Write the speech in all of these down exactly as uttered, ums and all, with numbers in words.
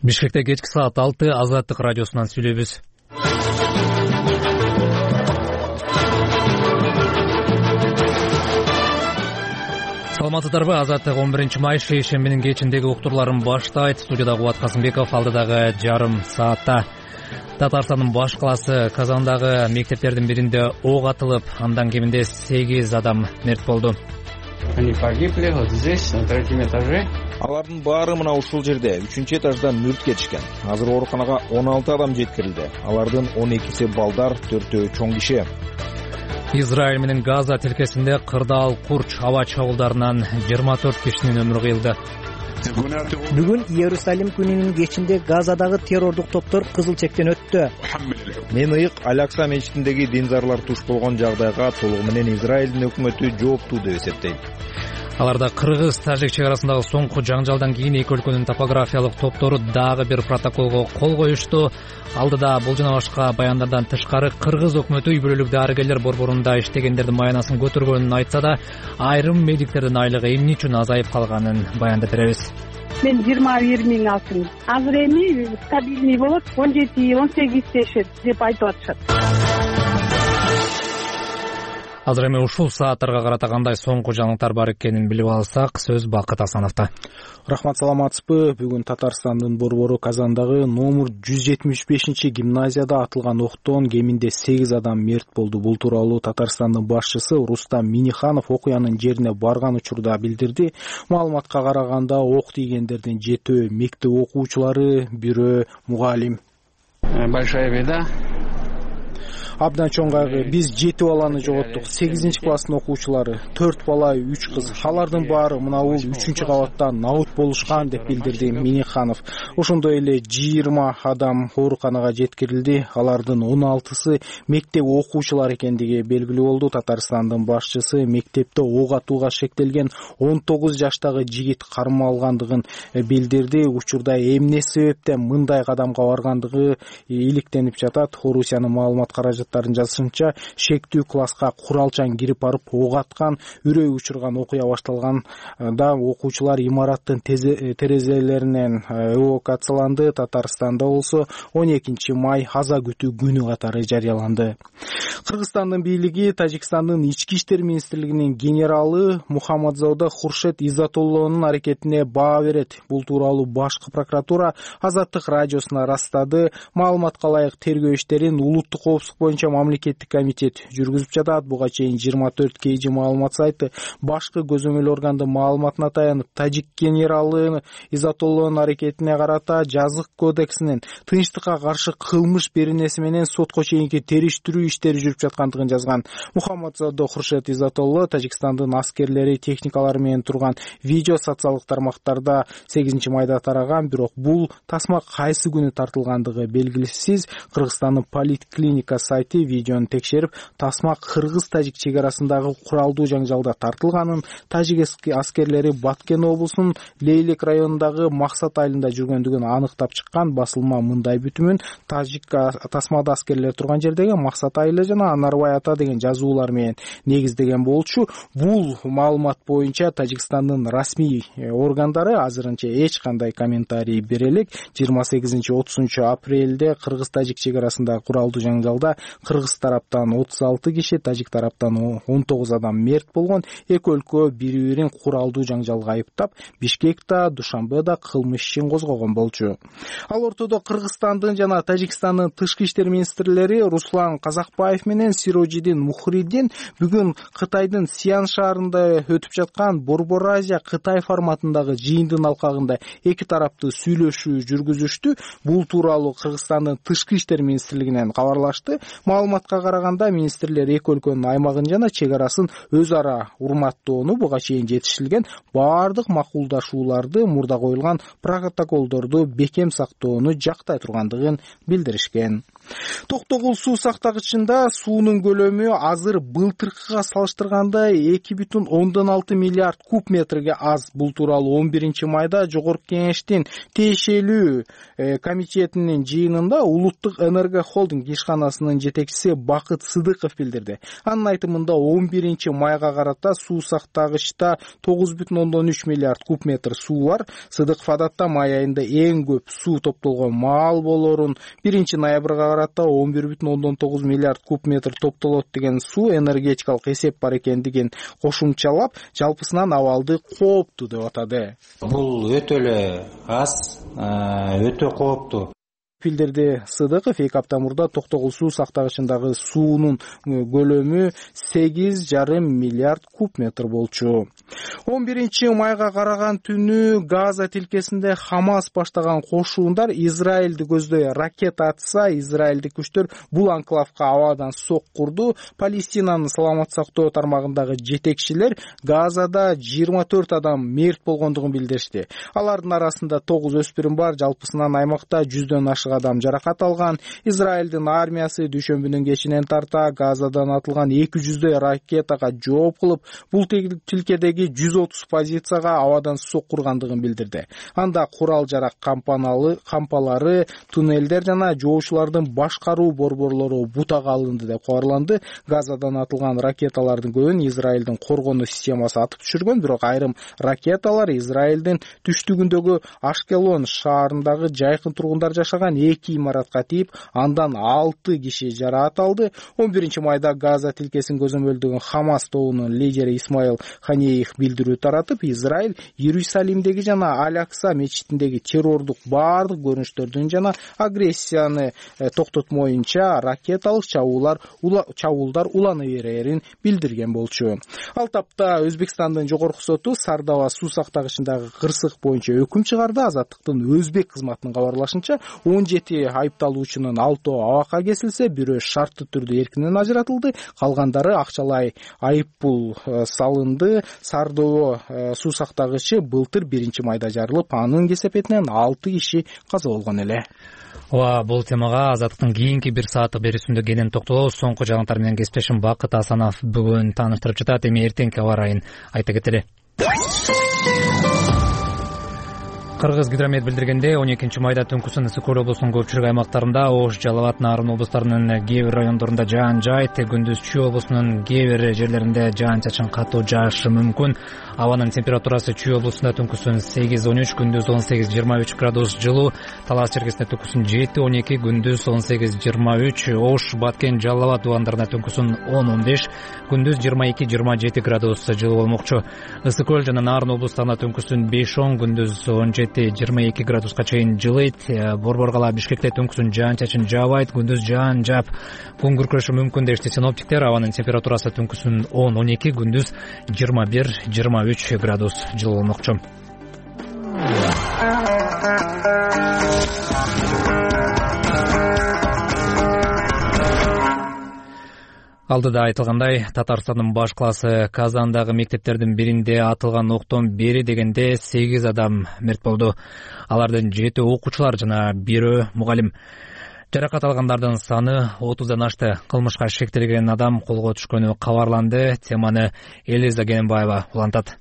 Бишкекте кечки саат алты Азаттык радиосунан сүйлөйбүз. Саламатсыздарбы? Азаттык он биринчи май шейшембинин кечиндеги уктурларын баштайт. Студияда Кубат Касымбеков, алдыдагы жарым саатта. Татарстандын баш калаасы Казандагы мектептердин биринде ок атылып, андан кеминде сегиз адам мерт болду. Они погибли вот здесь, на третьем этаже. Алардын баары мына ушул жерде үчүнчү этажда мүрт кетишкен. Азыр ооруканага он алты адам жеткирилди. Алардын он экиси балдар, төртөө чоң киши. Израиль менен Газа тилкесинде кырдаал курч аба чабуулдарынан жыйырма төрт кишинин өмүрү кыйылды. Бүгүн Иерусалим күнүнүн кечинде Газадагы террордук топтор кызыл чектен өттү. Мен ыйык Аль-Акса мечитиндеги динзарлар туш болгон жагдайга толугу менен Израилдин өкмөтү жооптуу деп эсептейт. Аларда кыргыз-тажик чек арасындагы соңку жаңжалдан кийин эки өлкөнүн топографиялык топтору дагы бир протоколго кол коюшту. Алдыда бул жана башка баяндардан тышкары кыргыз өкмөтү үй бүлөлүк дарыгерлер борборунда иштегендердин маянасын көтөргөнүн айтса да, айрым медиктердин айлыгы эмне үчүн азайып калганын баяндап беребиз. Мен жыйырма бир миң алдым. Азыр эми стабильный болот, он жети он сегиз тешет деп айтып атышат. Азыр эми ушул сааттарга карата кандай соңку жаңылыктар бар экенин билип алсак, сөз Бакыт Асановдо. Рахмат, саламатсызбы? Бүгүн Татарстандын борбору Казандагы номер жүз жетимиш бешинчи гимназияда атылган октон кеминде сегиз адам мерт болду. Бул тууралуу Татарстандын башчысы Рустам Миниханов окуянын жерине барган учурда билдирди. Маалыматка караганда ок тийгендердин жетөө мектеп окуучулары, бирөө мугалим. Большая беда. Абдан чоң кайгы. Биз жети баланы жоготтук. сегизинчи класстын окуучулары, төрт бала, үч кыз. Алардын баары мына бул үчүнчү кабатта наут болушкан деп билдирди Миниханов. Ошондой эле жыйырма адам ооруканага жеткирилди. Алардын он алтысы мектеп окуучулары экендиги белгилүү болду. Татарстандын башчысы мектепте ок атууга шектелген он тогуз жаштагы жигит кармалгандыгын билдирди. Учурда эмне себептен мындай кадамга баргандыгы иликтенип жатат. Орусиянын маалымат каражаты жазышынча, шектүү класска куралчан кирип барып ок аткан, үрөй учурган окуя башталганда окуучулар имараттын терезелеринен эвакуацияланды. Татарстанда болсо он экинчи май аза күтүү күнү катары жарыяланды. Кыргызстандын бийлиги Тажикстандын ички иштер министрлигинин генералы Мухаммадзода Хуршет Иззатуллонун аракетине баа берет. Бул тууралуу башкы прокуратура Азаттык радиосуна ырастады. Маалыматка ылайык тергөө иштерин улуттук коопсуздук боюнча мамлекеттик комитет жүргүзүп жатат. Буга чейин жыйырма төрт кей жи маалымат сайты башкы көзөмөл органдын маалыматына таянып, тажик генералы Иззатуллонун аракетине карата жазык кодексинин тынчтыкка каршы кылмыш беренеси менен сотко чейинки териштирүү иштери жүрүп жаткандыгын жазган. Мухаммадзода Хуршет Иззатулло Тажикстандын аскерлери техникалары менен турган видео социалдык тармактарда сегизинчи майда тараган, бирок бул тасма кайсы күнү тартылгандыгы белгисиз. Кыргызстандын поликлиника сайты видеону текшерип, тасма кыргыз-тажик чек арасындагы куралдуу жаңжалда тартылганын, тажик аскерлери Баткен облусунун Лейлек районундагы Максат айылында жүргөндүгүн аныктап чыккан. Басылма мындай бүтүмүн тажик тасмада аскерлер турган жердеги Максат айылы жана Анарбай ата деген жазуулар менен негиздеген болчу. Бул маалымат боюнча Тажикстандын расмий органдары азырынча эч кандай комментарий бере элек. жыйырма сегизинчи отузунчу апрелде кыргыз-тажик чек арасындагы куралдуу жаңжалда кыргыз тараптан отуз алты киши, тажик тараптан он тогуз адам мерт болгон. Эки өлкө бири-бирин куралдуу жаңжалга айыптап, Бишкекте, Душанбеде кылмыш ишин козгогон болчу. Ал ортодо Кыргызстандын жана Тажикстандын тышкы иштер министрлери Руслан Казакбаев менен Сирожидин Мухридин бүгүн Кытайдын Сиан шаарында өтүп жаткан Борбор Азия Кытай форматындагы жыйындын алкагында эки тараптуу сүйлөшүү жүргүзүштү. Бул тууралуу Кыргызстандын тышкы иштер министрлигинен кабарлашты. Маалыматка караганда министрлер эки өлкөнүн аймагын жана чек арасын өз ара урматтоону, буга чейин жетишилген баардык макулдашууларды, мурда коюлган протоколдорду бекем сактоону жактай тургандыгын билдиришкен. Токтогул суу сактагычында суунун көлөмү азыр былтыркыга салыштырганда эки бүтүн ондон алты миллиард куб метрге аз. Бул тууралуу он биринчи майда Жогорку Кеңештин тиешелүү комитетинин жыйынында Улуттук энергия холдинг ишканасынын жетекчиси Бакыт Сыдыков билдирди. Анын айтымында он биринчи майга карата суу сактагычта тогуз бүтүн ондон үч миллиард куб метр суу бар. Сыдыков адатта май айында эң көп суу топтолгон маал болорун, биринчи ноябрга карата он бир бүтүн ондон тогуз миллиард куб метр топтолот деген суу энергетикалык эсеп бар экендигин кошумчалап, жалпысынан абалды кооптуу деп атады. Бул өтө эле аз, өтө кооптуу. Билдирди Сыдыков. Эки апта мурда Токтогул суу сактагычындагы суунун көлөмү сегиз жарым миллиард куб метр болчу. он биринчи майга караган түнү Газа тилкесинде Хамас баштаган кошуундар Израилди көздөй ракета атса, израилдик күчтөр бул анклавга абадан сок курду. Палестинанын саламат сактоо тармагындагы жетекчилер Газада жыйырма төрт адам мерт болгондугун билдиришти. Алардын арасында тогуз өспүрүм бар. Жалпысынан аймакта жүздөн ашык адам жаракат алган. Израилдин армиясы дүйшөмбүнүн кечинен тарта Газадан атылган эки жүздөй ракетага жооп кылып, бул тилкедеги жүз отуз позицияга абадан сок кургандыгын билдирди. Анда курал-жарак кампаналы кампалары, туннелдер жана жоочулардын башкаруу борборлору бутага алынды деп кабарланды. Газадан атылган ракеталардын көбүн Израилдин коргонуу системасы атып түшүргөн, бирок айрым ракеталар Израилдин түштүгүндөгү Ашкелон шаарындагы жайкын тургундар жашаган эки имаратка тийип, андан алты киши жаракат алды. он биринчи майда Газа тилкесин көзөмөлдөгөн Хамас тобунун лидери Исмаил Ханеев билдирүү таратып, Израиль Иерусалимдеги жана Аль-Акса мечитиндеги террордук баардык көрүнүштөрдүн жана агрессияны токтотмоюнча ракеталык чабуулар чабуулдар улана берерин билдирген болчу. Ал тапта Өзбекстандын жогорку соту Сардаба суу сактагычындагы кырсык боюнча өкүм чыгарды. Азаттыктын Өзбек кызматынын кабарлашынча, он жети айыпталуучунун алтоо абакка кесилсе, бирөө шарттуу түрдө эркинен ажыратылды, калгандары акчалай айыппул салынды. Сардоо суу сактагычы былтыр биринчи майда жарылып, анын кесепетинен алты киши каза болгон эле. Ооба, бул темага Азаттыктын кийинки бир сааттык берүүсүндө кенен токтолобуз. Соңку жагынтар менен кесиптешим Бакыт Асанов бүгүн тааныштырып жатат. Эми эртеңки аба ырайын айта кетели. Кыргыз гидромет билдиргенде, он экинчи майда түнкүсүн Ысык Көл облусунун көпчүлүк аймактарында, Ош, Жалал абад, Нарын облустарынын кээ бир райондорунда жаан жайт, күндүз Чүй облусунун кээ бир жерлеринде жаан-чачын катуу жаашы мүмкүн. Абанын температурасы Чүй облусунда түнкүсүн сегиз он үч, күндүз он сегиз жыйырма үч градус жылуу, Талас черкесинде түнкүсүн жети он эки, күндүз он сегиз жыйырма үч, Ош, Баткен, Жалал абад дубандарында түнкүсүн он он беш, күндүз жыйырма эки жыйырма жети градус жылуу болмокчу. Ысык Көл жана Нарын облустарында түнкүсүн беш он, күндүз он жети жыйырма эки градуска чейин жылыйт. Борбор кала Бишкекте түнкүсүн жаан-чачын жаабайт, күндүз жаан жаап, күн күркүрөшү мүмкүн дешти синоптиктер. Абанын температурасы түнкүсүн он он эки, күндүз жыйырма бир жыйырма үч градус жылуу болмокчу. Алдыда айтылгандай, Татарстандын баш каласы Казандагы мектептердин биринде атылган октон бери дегенде сегиз адам мерт болду. Алардын жети окуучулар жана бирөө мугалим. Жаракат алгандардын саны отуздан ашты. Кылмышка шектелген адам колго түшкөнү кабарланды. Теманы Элиза Генбаева улантат.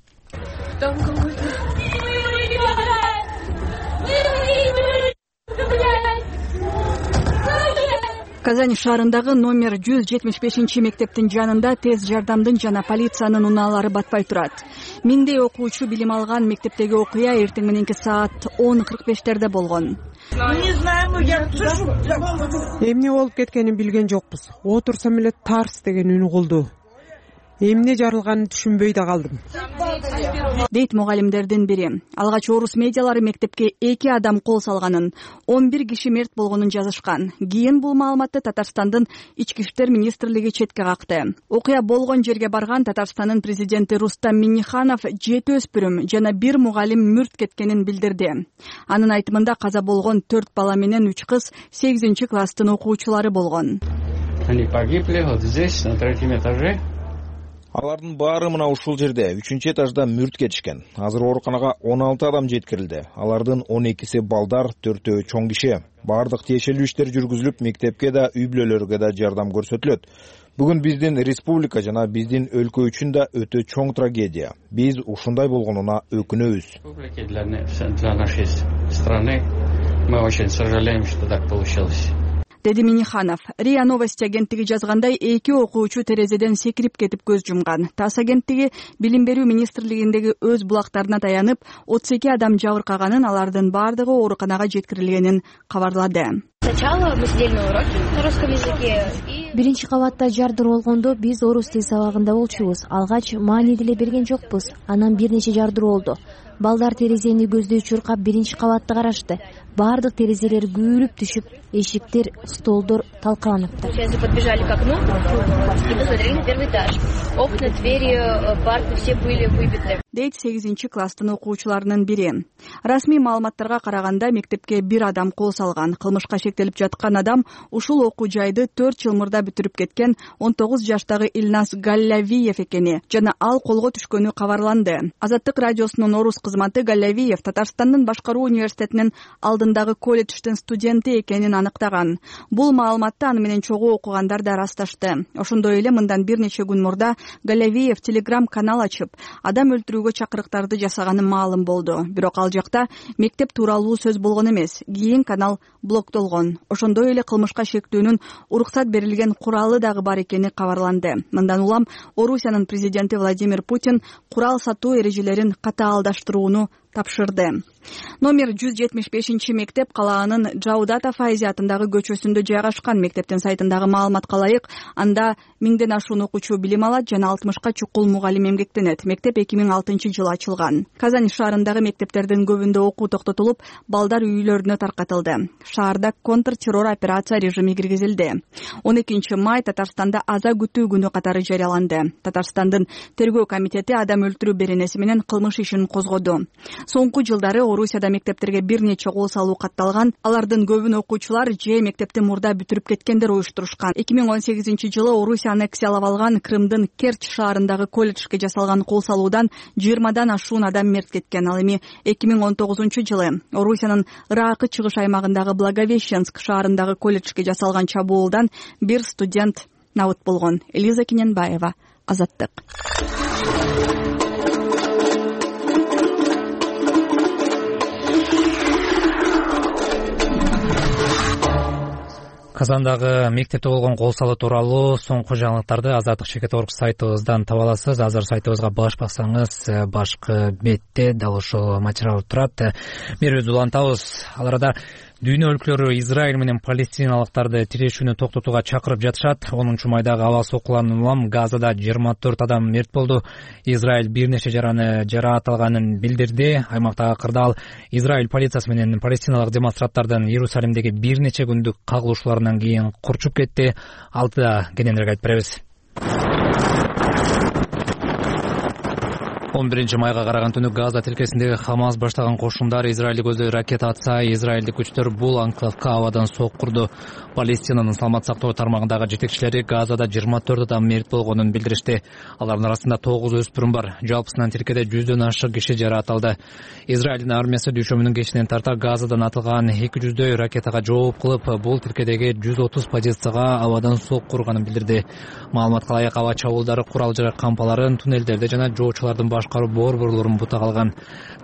Казань шаарындагы номер жүз жетимиш бешинчи мектептин жанында тез жардамдын жана полициянын унаалары батпай турат. Миңдей окуучу билим алган мектептеги окуя эртең мененки саат он кырк бештерде болгон. Эмне болуп кеткенин билген жокпуз. Отурсам эле тарс деген үн угулду. Эмне жарылганын түшүнбөй да калдым, дейт мугалимдердин бири. Алгач орус медиалары мектепке эки адам кол салганын, он бир киши мерт болгонун жазышкан. Кийин бул маалыматты Татарстандын ички иштер министрлиги четке какты. Окуя болгон жерге барган Татарстандын президенти Рустам Минниханов жети өспүрүм жана бир мугалим мүрт кеткенин билдирди. Анын айтымында каза болгон төрт бала менен үч кыз сегизинчи класстын окуучулары болгон. Они погибли вот здесь, на третьем этаже. Алардын баары мына ушул жерде үчүнчү этажда мүрт кетишкен. Азыр ооруканага он алты адам жеткирилди. Алардын он экиси балдар, төртөө чоң киши. Баардык тиешелүү иштер жүргүзүлүп, мектепке да, үй бүлөлөргө да жардам көрсөтүлөт. Бүгүн биздин республика жана биздин өлкө үчүн да өтө чоң трагедия. Биз ушундай болгонуна өкүнөбүз. Для нашей страны мы очень сожалеем, что так получилось. Деди Миниханов. РИА Новости агенттиги жазгандай, эки окуучу терезеден секирип кетип көз жумган. ТАСС агенттиги билим берүү министрлигиндеги өз булактарына таянып, отуз эки адам жабыркаганын, алардын баардыгы ооруканага жеткирилгенин кабарлады. Сначала мы сидели на уроке на русском языке. Биринчи кабатта жардыр болгондо биз орус тил сабагында болчубуз. Алгач маани деле берген жокпуз. Анан бир нече жардыр болду. Балдар терезени көздөй чуркап биринчи кабатты карашты. Баардык терезелер күйүлүп түшүп, эшиктер, столдор талкаланыпты. Сейчас подбежали к окну и посмотрели на первый этаж. Окна, двери, парты все были выбиты. Дейт сегизинчи класстын окуучуларынын бири. Расмий маалыматтарга караганда мектепке бир адам кол салган. Кылмышка шектелип жаткан адам ушул окуу жайды төрт жыл мурда бүтүрүп кеткен он тогуз жаштагы Илназ Галлавиев экени жана ал колго түшкөнү кабарланды. Азаттык радиосунун орус кызматы Галлавиев Татарстандын башкаруу университетинин алдындагы колледждин студенти экенин аныктаган. Бул маалыматты аны менен чогуу окугандар да ырасташты. Ошондой эле мындан бир нече күн мурда Галлавиев телеграм канал ачып, адам өлтүрүүгө чакырыктарды жасаганы маалым болду. Бирок ал жакта мектеп тууралуу сөз болгон эмес. Кийин канал блоктолгон. Ошондой эле кылмышка шектүүнүн уруксат берилген куралы дагы бар экени кабарланды. Мындан улам Орусиянын президенти Владимир Путин курал сатуу эрежелерин катаалдаштырууну тапшырды. Номер жүз жетимиш бешинчи мектеп калаанын Жаудата Файзи атындагы көчөсүндө жайгашкан. Мектептин сайтындагы маалыматка ылайык, анда миңден ашуун окуучу билим алат жана алтымышка чукул мугалим эмгектенет. Мектеп эки миң алтынчы жылы ачылган. Казань шаарындагы мектептердин көбүндө окуу токтотулуп, балдар үйлөрүнө таркатылды. Шаарда контртеррор операция режими киргизилди. он экинчи май Татарстанда аза күтүү күнү катары жарыяланды. Татарстандын тергөө комитети адам өлтүрүү беренеси менен кылмыш ишин козгоду. Соңку жылдары Орусияда мектептерге бир нече кол салуу катталган. Алардын көбүн окуучулар же мектепти мурда бүтүрүп кеткендер уюштурушкан. эки миң он сегизинчи жылы Орусия аннексиялап алган Крымдын Керчь шаарындагы колледжге жасалган кол салуудан жыйырмадан ашуун адам мерт кеткен. Ал эми эки миң он тогузунчу жылы Орусиянын Ыракы чыгыш аймагындагы Благовещенск шаарындагы колледжге жасалган чабуулдан бир студент набыт болгон. Элиза Кененбаева, Азаттык. Казандагы мектепте болгон кол салуу тууралуу соңку жаңылыктарды Азаттык чекит орг сайтыбыздан таба аласыз. Азыр сайтыбызга баш бассаңыз, башкы бетте дал ушул материал турат. Берүүбүздү улантабыз. Ал арада дүйнө өлкөлөрү Израиль менен палестиналыктарды тирешүүнү токтотууга чакырып жатышат. онунчу майдагы аба соккуларынан улам Газада жыйырма төрт адам мерт болду. Израиль бир нече жараны жараат алганын билдирди. Аймактагы кырдаал Израиль полициясы менен палестиналык демонстранттардын Иерусалимдеги бир нече күндүк кагылышууларынан кийин курчуп кетти. Алтыда кененирээк айтып беребиз. он биринчи майга караган түнү Газа тилкесиндеги Хамас баштаган кошундар Израилди көздөй ракета атса, израилдик күчтөр бул анклавка абадан соккурду. Палестинанын саламат сактоо тармагындагы жетекчилери Газада жыйырма төрт адам мерт болгонун билдиришти. Алардын арасында тогуз өспүрүм бар. Жалпысынан тилкеде жүздөн ашык киши жараат алды. Израилдин армиясы дүйшөмүнүн кечинен тарта Газадан атылган эки жүздөй ракетага жооп кылып, бул тилкедеги жүз отуз позицияга абадан сокку урганын билдирди. Маалыматка ылайык, аба чабуулдары курал жарак кампаларын, туннелдерди жана жоочулардын башкаруу борборлорун бута калган.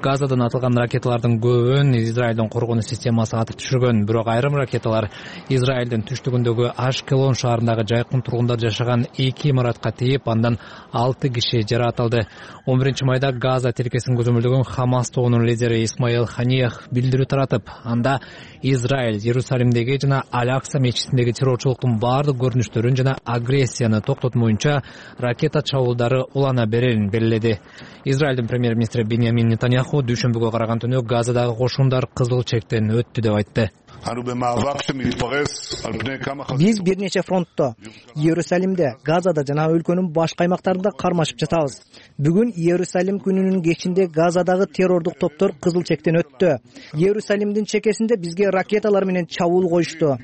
Газадан атылган ракеталардын көбүн Израилдин коргонуу системасы атып түшүргөн. Бирок айрым ракеталар Израилдин түштүгүндөгү Ашкелон шаарындагы жайкын тургундар жашаган эки имаратка тийип, андан алты киши жараат алды. он биринчи майда Газа тилкесин көзөмөлдөгөн Хамас тобунун лидери Исмаил Ханиях билдирүү таратып, анда Израиль Иерусалимдеги жана Аль-Акса мечитиндеги террорчулуктун баардык көрүнүштөрүн жана агрессияны токтотмоюнча ракета чабуулдары улана берерин белгиледи. Израилдин премьер-министри Биньямин Нетаньяху дүйшөмбүгө караган түнү Газадагы кошундар кызыл чектен өттү деп айтты. Биз бир нече фронтто Иерусалимде, Газада жана өлкөнүн башка аймактарында кармашып жатабыз. Бүгүн Иерусалим күнүнүн кечинде Газадагы террордук топтор кызыл чектен өттү. Иерусалимдин чекесинде бизге ракеталар менен чабуул коюшту.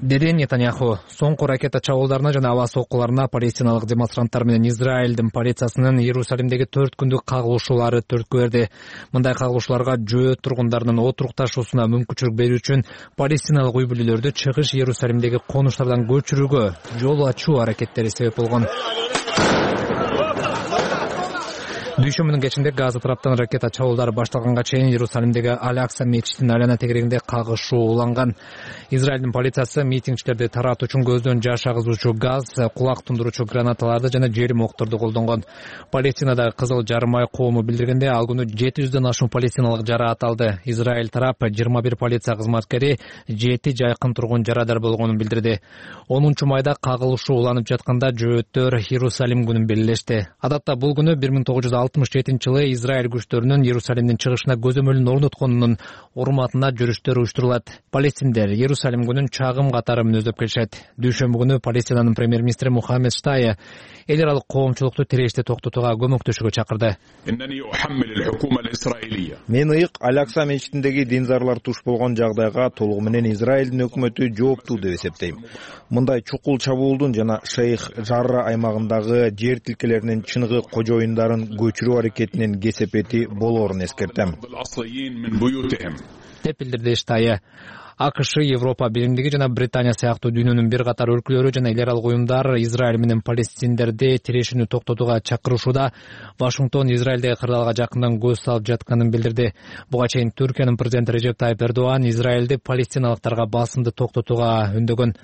деди Нетаньяху. Соңку ракета чабуулдарына жана аба соккуларына палестиналык демонстранттар менен Израилдин полициясынын Иерусалимдеги төрт күндүк кагылышуулары түрткү берди. Мындай кагылышууларга жөө тургундарынын отурукташуусуна мүмкүнчүлүк берүү үчүн палестиналык үй бүлөлөрдү чыгыш Иерусалимдеги конуштардан көчүрүүгө жол ачуу аракеттери себеп болгон. Дүйшөмбүнүн кечинде Газа тараптан ракета чабуулдары башталганга чейин Иерусалимдеги Аль-Акса мечитинин айлана тегерегинде кагышуу уланган. Израилдин полициясы митингчилерди таратуу үчүн көздөн жаш агызуучу газ, кулак тундуруучу гранаталарды жана жерим окторду колдонгон. Палестинадагы Кызыл жарым ай коому билдиргенде ал күнү жети жүздөн ашуун палестиналык жараат алды. Израиль тарап жыйырма бир полиция кызматкери, жети жайкын тургун жарадар болгонун билдирди. онунчу майда кагылышуу уланып жатканда жөөттөр Иерусалим күнүн белгилешти. Адатта бул күнү бир миң тогуз жүз алтымыш жетинчи жылы Израиль күчтөрүнүн Иерусалимдин чыгышына көзөмөлүн орнотконунун урматына жүрүштөр уюштурулат. Палестиндер Иерусалим күнүн чагым катары мүнөздөп келишет. Дүйшөмбү күнү Палестинанын премьер-министри Мухаммед Штайя эл аралык коомчулукту тирешти токтотууга көмөктөшүүгө чакырды. Мен ыйык Аль-Акса мечитиндеги динзарлар туш болгон жагдайга толугу менен Израилдин өкмөтү жооптуу деп эсептейм. Мындай чукул чабуулдун жана Шейх Жарра аймагындагы жер тилкелеринин чыныгы кожоюндарын көчүрүү аракетинин кесепети болоорун эскертем, деп билдирди Штайя. АКШ, Европа биримдиги жана Британия сыяктуу дүйнөнүн бир катар өлкөлөрү жана эл аралык уюмдар Израиль менен палестиндерди тирешүүнү токтотууга чакырышууда. Вашингтон Израилдеги кырдаалга жакындан көз салып жатканын билдирди. Буга чейин Түркиянын президенти Режеп Тайип Эрдоган Израилди палестиналыктарга басымды токтотууга үндөгөн.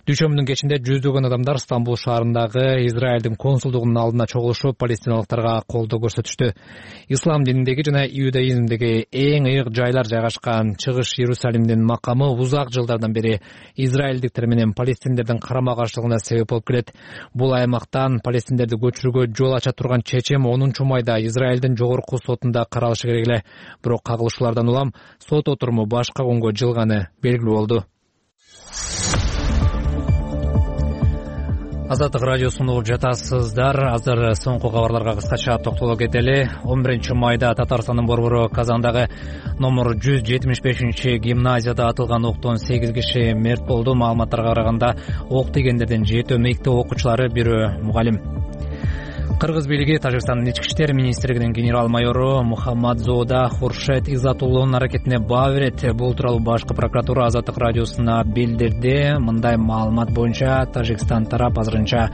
Дүйшөмбүнүн кечинде жүздөгөн адамдар Стамбул шаарындагы Израилдин консулдугунун алдына чогулушуп, палестиналыктарга колдоо көрсөтүштү. Ислам дининдеги жана иудаизмдеги эң ыйык жайлар жайгашкан чыгыш Иерусалимдин макамы узак жылдардан бери израилдиктер менен палестиндердин карама-каршылыгына себеп болуп келет. Бул аймактан палестиндерди көчүрүүгө жол ача турган чечим онунчу майда Израилдин жогорку сотунда каралышы керек эле. Бирок кагылышуулардан улам сот отуруму башка күнгө жылганы белгилүү болду. Азаттык радиосунда угуп жатасыздар. Азыр соңку кабарларга кыскача токтоло кетели. он биринчи майда Татарстандын борбору Казандагы номер жүз жетимиш бешинчи гимназияда атылган октон сегиз киши мерт болду. Маалыматтарга караганда ок тигендердин жетөө мектеп окуучулары, бирөө мугалим. Кыргыз бийлиги Тажикстандын ички иштер министрлигинин генерал-майору Мухаммадзода Хуршет Изатуллонун аракетине баа берет. Бул тууралуу башкы прокуратура Азаттык радиосуна билдирди. Мындай маалымат боюнча Тажикстан тарап азырынча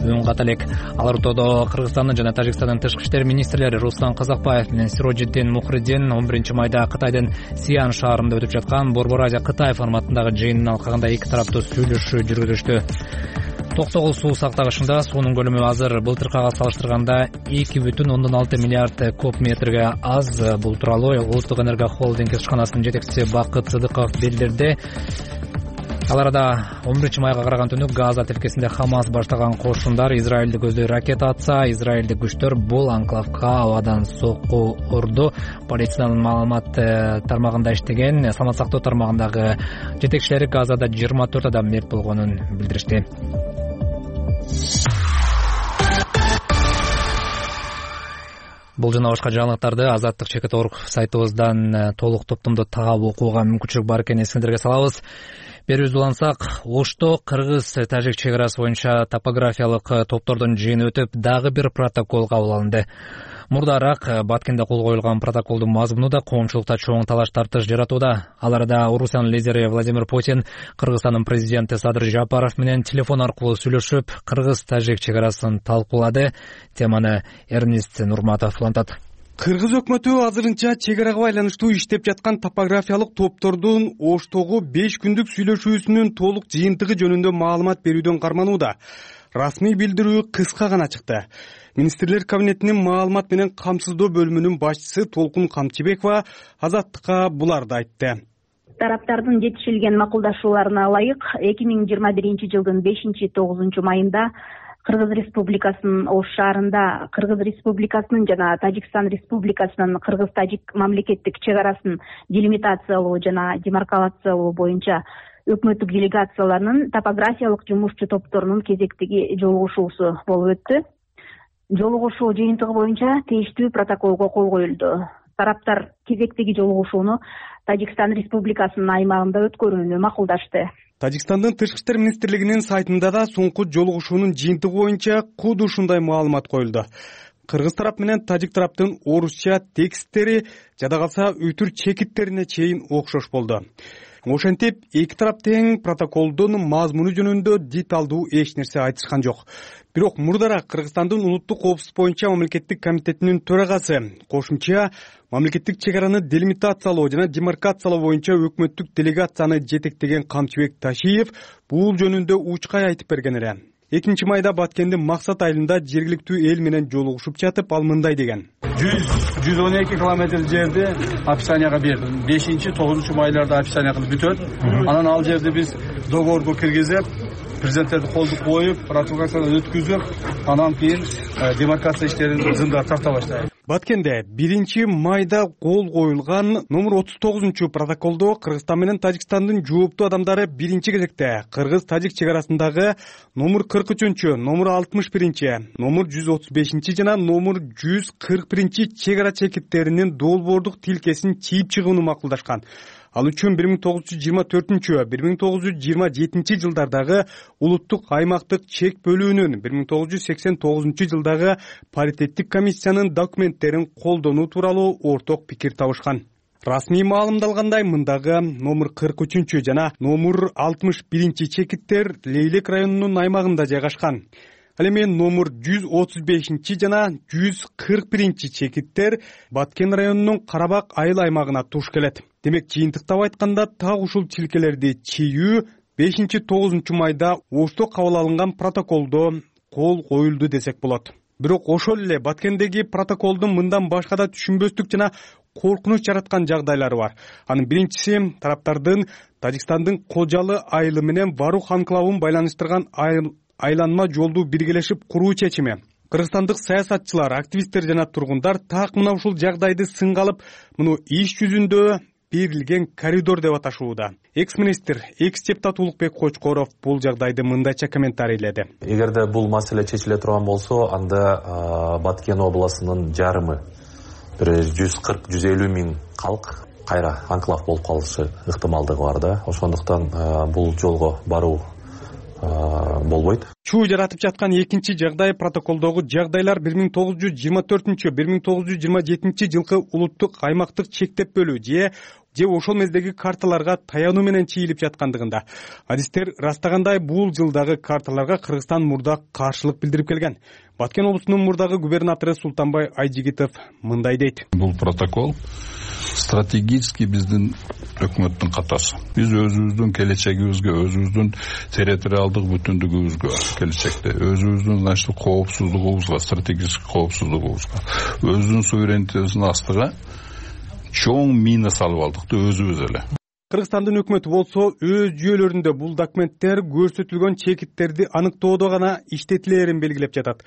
үн ката элек. Ал ортодо Кыргызстандын жана Тажикстандын тышкы иштер министрлери Руслан Казакбаев менен Сирожиддин Мухриддин он биринчи майда Кытайдын Сиан шаарында өтүп жаткан Борбор Азия Кытай форматындагы жыйындын алкагында эки тараптуу сүйлөшүү жүргүзүштү. Токтогул суу сактагычында суунун көлөмү азыр былтыркыга салыштырганда эки бүтүн ондон алты миллиард куб метрге аз. Бул тууралуу Улуттук энергия холдинг ишканасынын жетекчиси Бакыт Сыдыков билдирди. Ал арада он биринчи майга караган түнү Газа тилкесинде Хамас баштаган кошундар Израилди көздөй ракета атса, израилдик күчтөр бул анклавга абадан сокку урду. Полициянын маалымат тармагында иштеген саламат сактоо тармагындагы жетекчилери Газада жыйырма төрт адам мерт болгонун билдиришти. Бул жана башка жаңылыктарды Азаттык чекит точка орг сайтыбыздан толук топтомдо таап окууга мүмкүнчүлүк бар экенин эсиңиздерге салабыз. Берүүбүздү улантсак, Ошто кыргыз-тажик чек арасы боюнча топографиялык топтордун жыйыны өтүп, дагы бир протокол кабыл алынды. Мурдараак Баткенде кол коюлган протоколдун мазмуну да коомчулукта чоң талаш тартыш жаратууда. Ал арада Орусиянын лидери Владимир Путин Кыргызстандын президенти Садыр Жапаров менен телефон аркылуу сүйлөшүп, кыргыз-тажик чек арасын талкуулады. Теманы Эрнест Нурматов улантат. Кыргыз өкмөтү азырынча чек арага байланыштуу иштеп жаткан топографиялык топтордун Оштогу беш күндүк сүйлөшүүсүнүн толук жыйынтыгы жөнүндө маалымат берүүдөн карманууда. Расмий билдирүү кыска гана чыкты. Министрлер кабинетинин маалымат менен камсыздоо бөлүмүнүн башчысы Толкун Камчыбекова Азаттыкка буларды айтты. Тараптардын жетишилген макулдашууларына ылайык эки миң жыйырма биринчи жылдын бешинчи тогузунчу майында Кыргыз Республикасынын Ош шаарында Кыргыз Республикасынын жана Тажикстан Республикасынын Кыргыз-Тажик мамлекеттик чек арасын делимитациялоо жана демаркалациялоо боюнча өкмөттүк делегацияларынын топографиялык жумушчу топторунун кезектеги жолугушуусу болуп өттү. Жолугушуу жыйынтыгы боюнча тийиштүү протоколго кол коюлду. Тараптар кезектеги жолугушууну Тажикстан Республикасынын аймагында өткөрүүнү макулдашты. Тажикстандын Тышкы иштер министрлигинин сайтында да соңку жолугушуунун жыйынтыгы боюнча куд ушундай маалымат коюлду. Кыргыз тарап менен тажик тараптын орусча тексттери жада калса өтүр чекиттерине чейин окшош болду. Ошентип эки тарап тең протоколдун мазмуну жөнүндө деталдуу эч нерсе айтышкан жок. Бирок мурдара Кыргызстандын улуттук коопсуздук боюнча мамлекеттик комитетинин төрагасы кошумча мамлекеттик чек араны делимитациялоо жана демаркациялоо боюнча өкмөттүк делегацияны жетектеген Камчыбек Ташиев бул жөнүндө учкай айтып берген эле. экинчи майда Баткендин Максат айылында жергиликтүү эл менен жолугушуп жатып, ал мындай деген: жүз жүз он эки километр жерди описанияга бердим. бешинчи тогузунчу майларда описания кылып бүтөт. Анан ал жерди биз договорго киргизип, президенттерди колду коюп, ратификациядан өткүзүп, анан кийин демаркация иштерин зымдап тарта баштайбыз. Баткенде биринчи майда кол коюлган номер отуз тогузунчу протоколдо Кыргызстан менен Тажикстандын жооптуу адамдары биринчи кезекте Кыргыз-Тажик чек арасындагы номер кырк үчүнчү, номер алтымыш биринчи, номер жүз отуз бешинчи жана номер жүз кырк биринчи чек ара чекиттеринин долбоордук тилкесин чийип чыгууну макулдашкан. Ал үчүн бир миң тогуз жүз жыйырма төртүнчү, бир миң тогуз жүз жыйырма жетинчи жылдардагы улуттук аймактык чек бөлүүнүн, бир миң тогуз жүз сексен тогузунчу жылдагы паритеттик комиссиянын документтерин колдонуу тууралуу орток пикир табышкан. Расмий маалымдалгандай, мындагы номер кырк үчүнчү жана номер алтымыш биринчи чекиттер Лейлек районунун аймагында жайгашкан. Ал эми номер жүз отуз бешинчи жана жүз кырк биринчи чекиттер Баткен районунун Карабак айыл аймагына туш келет. Демек, жыйынтыктап айтканда, так ушул тилкелерди чийүү бешинчи тогузунчу майда Ошто кабыл алынган протоколдо кол коюлду десек болот. Бирок ошол эле Баткендеги протоколдун мындан башка да түшүнбөстүк жана коркунуч жараткан жагдайлары бар. Анын биринчиси тараптардын Тажикстандын Кожалы айылы менен Барух анклавын байланыштырган айланма жолду биргелешип куруу чечими. Кыргызстандык саясатчылар, активисттер жана тургундар так мына ушул жагдайды сынга алып, муну иш жүзүндө берилген коридор деп аташууда. Экс-министр, экс-депутат Улукбек Кочкоров бул жагдайды мындайча комментарийледи. Эгерде бул маселе чечиле турган болсо, анда Баткен областынын жарымы, бир жүз кырк жүз элүү миң калк кайра анклав болуп калышы ыктымалдыгы бар да. Ошондуктан бул жолго баруу болбойт. Чуу жаратып жаткан экинчи жагдай протоколдогу жагдайлар бир миң тогуз жүз жыйырма төртүнчү, бир миң тогуз жүз жыйырма жетинчи жылкы улуттук аймактык чектеп бөлүү же же ошол мездеги карталарга таянуу менен чийилип жаткандыгында. Адистер растагандай, бул жылдагы карталарга Кыргызстан мурда каршылык билдирип келген. Баткен облусунун мурдагы губернатору Султанбай Айжигитов мындай дейт: Бул протокол стратегически биздин өкмөттүн катасы. Биз өзүбүздүн келечегибизге, өзүбүздүн территориалдык бүтүндүгүбүзгө, келечекте өзүбүздүн значит коопсуздугубузга, стратегический коопсуздугубузга, өзүбүздүн суверенитетибиздин астыга чоң мина салып алдык да өзүбүз эле. Кыргызстандын өкмөтү болсо өз жүйөлөрүндө бул документтер көрсөтүлгөн чекиттерди аныктоодо гана иштетилээрин белгилеп жатат.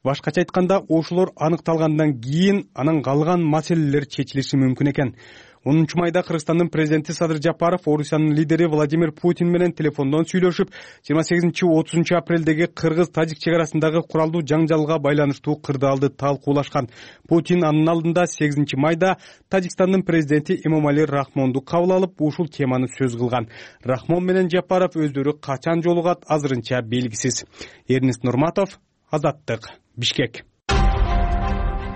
Башкача айтканда, ошолор аныкталгандан кийин анан калган маселелер чечилиши мүмкүн экен. онунчу майда Кыргызстандын президенти Садыр Жапаров Орусиянын лидери Владимир Путин менен телефондон сүйлөшүп, жыйырма сегизинчи отузунчу апрелдеги Кыргыз-Тажик чек арасындагы куралдуу жаңжалга байланыштуу кырдаалды талкуулашкан. Путин анын алдында сегизинчи майда Тажикстандын президенти Эмомали Рахмонду кабыл алып, ушул теманы сөз кылган. Рахмон менен Жапаров өздөрү качан жолугат азырынча белгисиз. Эрнест Нурматов, Азаттык, Бишкек.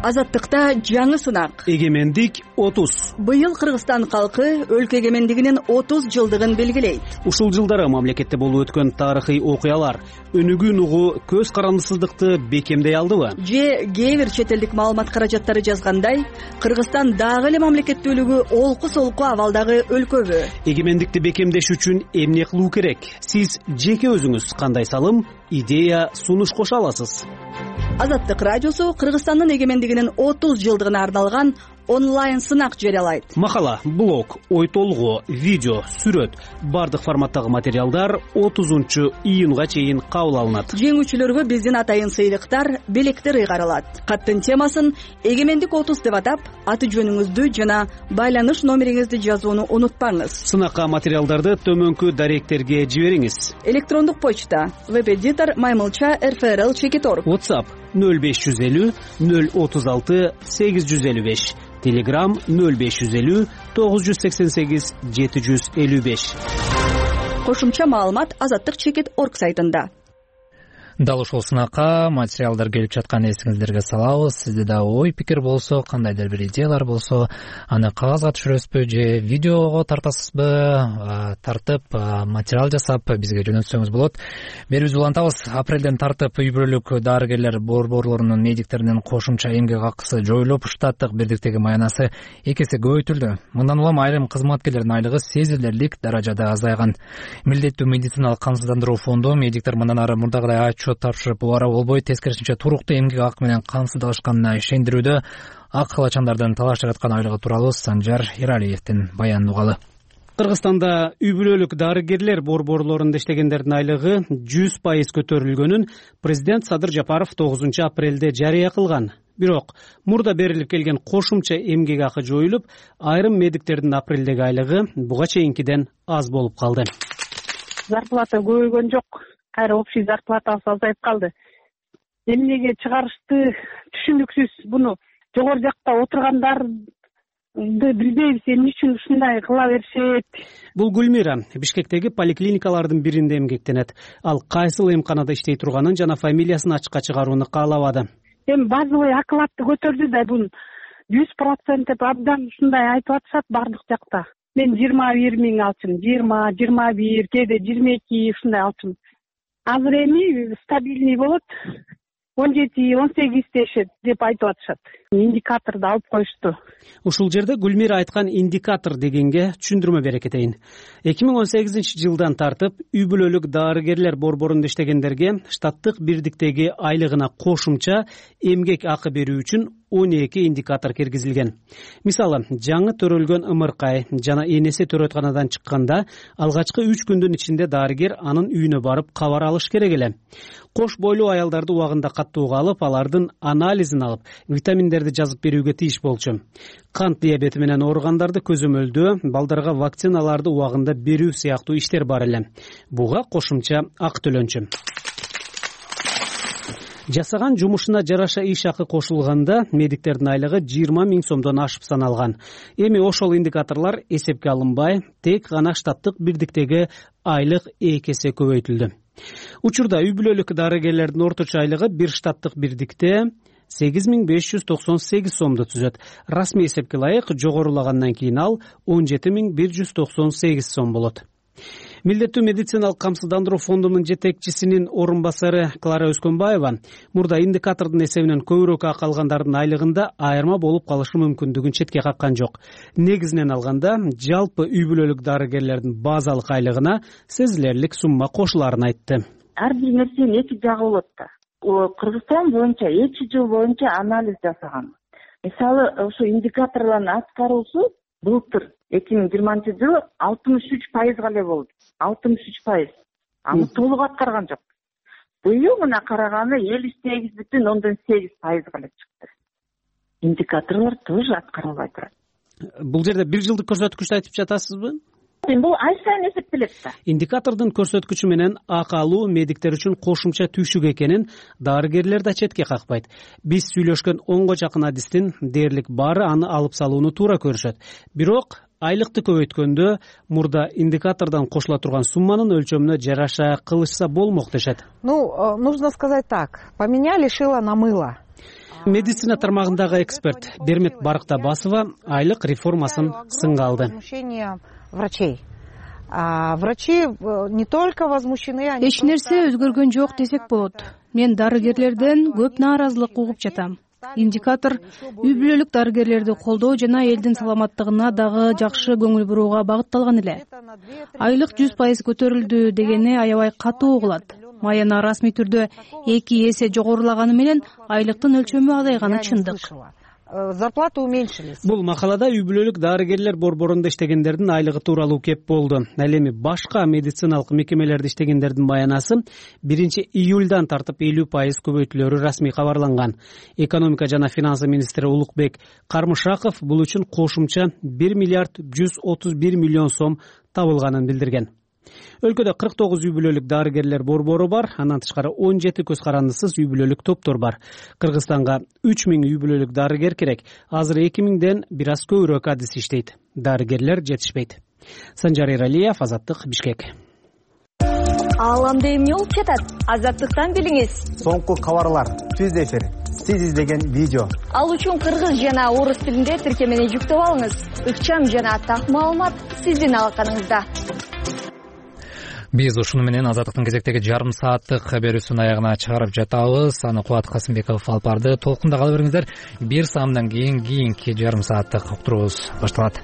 Азаттыкта жаңы сынак. Эгемендик отуз. Быйыл Кыргызстан калкы өлкө эгемендигинин отуз жылдыгын белгилейт. Ушул жылдары мамлекетте болуп өткөн тарыхый окуялар өнүгүүн угу көз карандысыздыкты бекемдей алдыбы? Же кээ бир чет элдик маалымат каражаттары жазгандай, Кыргызстан дагы эле мамлекеттүүлүгү олку-солку абалдагы өлкөбү? Эгемендикти бекемдеш үчүн эмне кылуу керек? Сиз жеке өзүңүз кандай салым, идея, сунуш кошо аласыз? Азаттык радиосу Кыргызстандын эгемендигинин отуз жылдыгына арналган онлайн сынак жарыялайт. Макала, блог, ой толгоо, видео, сүрөт, бардык форматтагы материалдар отузунчу июнга чейин кабыл алынат. Жеңүүчүлөргө биздин атайын сыйлыктар, белектер ыйгарылат. Каттын темасын Эгемендик отуз деп атап, аты жөнүңүздү жана байланыш номериңизди жазууну унутпаңыз. Сынакка материалдарды төмөнкү даректерге жибериңиз. Электрондук почта веб-эдитор маймылча эр эф эр эл чекит точка орг. WhatsApp нөл беш жүз элүү нөл отуз алты сегиз жүз элүү беш. Telegram нөл беш жүз элүү тогуз жүз сексен сегиз жети жүз элүү беш. кошумча маалымат Азаттык чекит орг сайтында. Дал ушул сынакка материалдар келип жаткан эсиңиздерге салабыз. Сизде да ой пикир болсо, кандайдыр бир идеялар болсо, аны кагазга түшүрөсүзбү же видеого тартасызбы, тартып материал жасап бизге жөнөтсөңүз болот. Берибиз улантабыз. Апрелден тартып үй бүлөлүк дарыгерлер борборлорунун медиктеринин кошумча эмгек акысы жоюлуп, штаттык бирдиктеги маянасы эки эсе көбөйтүлдү. Мындан улам айрым кызматкерлердин айлыгы сезилерлик даражада азайган. Милдеттүү медициналык камсыздандыруу фонду медиктер мындан ары мурдагыдай отчет тапшырып убара болбой, тескерисинче туруктуу эмгек акы менен камсыздалышканына ишендирүүдө. Ак калачандардын талаш жараткан айлыгы тууралуу Санжар Эралиевдин баянын угалы. Кыргызстанда үй бүлөлүк дарыгерлер борборлорунда иштегендердин айлыгы жүз пайыз көтөрүлгөнүн президент Садыр Жапаров тогузунчу апрелде жарыя кылган. Бирок мурда берилип келген кошумча эмгек акы жоюлуп, айрым медиктердин апрелдеги айлыгы буга чейинкиден аз болуп калды. Зарплата көбөйгөн жок. Кайра общий зарплатасы азайып калды. Эмнеге чыгарышты түшүнүксүз. Буну жогору жакта отургандарды билбейбиз, эмне үчүн ушундай кыла беришет. Бул Гүлмира Бишкектеги поликлиникалардын биринде эмгектенет. Ал кайсыл эмканада иштей турганын жана фамилиясын ачыкка чыгарууну каалабады. Эми базовый окладты көтөрдү да, бул жүз процент деп абдан ушундай айтып атышат бардык жакта. Мен жыйырма бир миң алчумун, жыйырма, жыйырма бир, кээде жыйырма эки ушундай алчумун. Азыр эми стабильный болот, он жети, он сегиз дешет деп айтып атышат. Индикаторду алып коюшту. Ушул жерде Гүлмира айткан индикатор дегенге түшүндүрмө бере кетейин. эки миң он сегизинчи жылдан тартып үй бүлөлүк дарыгерлер борборунда иштегендерге штаттык бирдиктеги айлыгына кошумча эмгек акы берүү үчүн он эки индикатор киргизилген. Мисалы, жаңы төрөлгөн ымыркай жана энеси төрөтканадан чыкканда алгачкы үч күндүн ичинде дарыгер анын үйүнө барып кабар алыш керек эле. Кош бойлуу аялдарды убагында каттууга алып, алардын анализин алып, витаминдерди жазып берүүгө тийиш болчу. Кант диабети менен ооругандарды көзөмөлдөө, балдарга вакциналарды убагында берүү сыяктуу иштер бар эле. Буга кошумча акы төлөнчү. Жасаган жумушуна жараша иш акы кошулганда медиктердин айлыгы жыйырма миң сомдон ашып саналган. Эми ошол индикаторлор эсепке алынбай, тек гана штаттык бирдиктеги айлык эки эсе көбөйтүлдү. Учурда үй бүлөлүк дарыгерлердин орточо айлыгы бир штаттык бирдикте сегиз миң беш жүз токсон сегиз сомду түзөт. Расмий эсепке ылайык жогорулагандан кийин ал он жети миң бир жүз токсон сегиз сом болот. Милдеттүү медициналык камсыздандыруу фондунун жетекчисинин орун басары Клара Өскөнбаева мурда индикатордун эсебинен көбүрөөк акы алгандардын айлыгында айырма болуп калышы мүмкүндүгүн четке каккан жок. Негизинен алганда, жалпы үй бүлөлүк дарыгерлердин базалык айлыгына сезилерлик сумма кошуларын айтты. Ар бир нерсенин эки жагы болот да. Кыргызстан боюнча эки жыл боюнча анализ жасаган. Мисалы, ошо индикаторлордун аткаруусу былтыр эки миң жыйырманчы жылы алтымыш үч пайызга эле болду. алтымыш үч пайыз. Аны толук аткарган жок. Быйыл мына караганы элүү сегиз бүтүн ондон сегиз пайызга эле чыкты. Индикаторлор тоже аткарылбай турат. Бул жерде бир жылдык көрсөткүчтү айтып жатасызбы? Бул ай сайын эсептелет да. Индикатордун көрсөткүчү менен акы алуу медиктер үчүн кошумча түйшүк экенин дарыгерлер да четке какпайт. Биз сүйлөшкөн онго жакын адистин дээрлик баары аны алып салууну туура көрүшөт. Бирок айлыкты көбөйткөндө мурда индикатордон кошула турган сумманын өлчөмүнө жараша кылышса болмок дешет. Ну, нужно сказать так. Поменяли шило на мыло. Медицина тармагындагы эксперт Бермет Барктабасова айлык реформасын сынга алды. Врачей. А врачи не только возмущены, эч нерсе өзгөргөн жок десек болот. Мен дарыгерлерден көп нааразылык угуп жатам. Индикатор үй бүлөлүк дарыгерлерди колдоо жана элдин саламаттыгына дагы жакшы көңүл бурууга багытталган эле. Айлык жүз пайыз көтөрүлдү дегени аябай катуу угулат. Маяна расмий түрдө эки эсе жогорулаганы менен айлыктын өлчөмү азайганы чындык. Зарплаты уменьшились. Бул макалада үй бүлөлүк дарыгерлер борборунда иштегендердин айлыгы тууралуу кеп болду. Ал эми башка медициналык мекемелерде иштегендердин маянасы биринчи июльдан тартып элүү пайыз көбөйтүлөрү расмий кабарланган. Экономика жана финансы министри Улукбек Кармышаков бул үчүн кошумча бир миллиард жүз отуз бир миллион сом табылганын билдирген. Өлкөдө кырк тогуз үй бүлөлүк дарыгерлер борбору бар, андан тышкары он жети көз карандысыз үй бүлөлүк топтор бар. Кыргызстанга үч миң үй бүлөлүк дарыгер керек. Азыр эки миңден бир аз көбүрөөк адис иштейт. Дарыгерлер жетишпейт. Санжар Эралиев, Азаттык, Бишкек. Ааламда эмне болуп жатат? Азаттыктан билиңиз. Соңку кабарлар, түз эфир, сиз издеген видео. Ал үчүн кыргыз жана орус тилинде тиркемени жүктөп алыңыз. Ыкчам жана так маалымат сиздин алаканыңызда. Биз ушуну менен Азаттыктын кезектеги жарым сааттык берүүсүнүн аягына чыгарып жатабыз. Аны Кубат Касымбеков алып барды. Толкунда кала бериңиздер. Бир саамдан кийин кийинки жарым сааттык уктуруубуз башталат.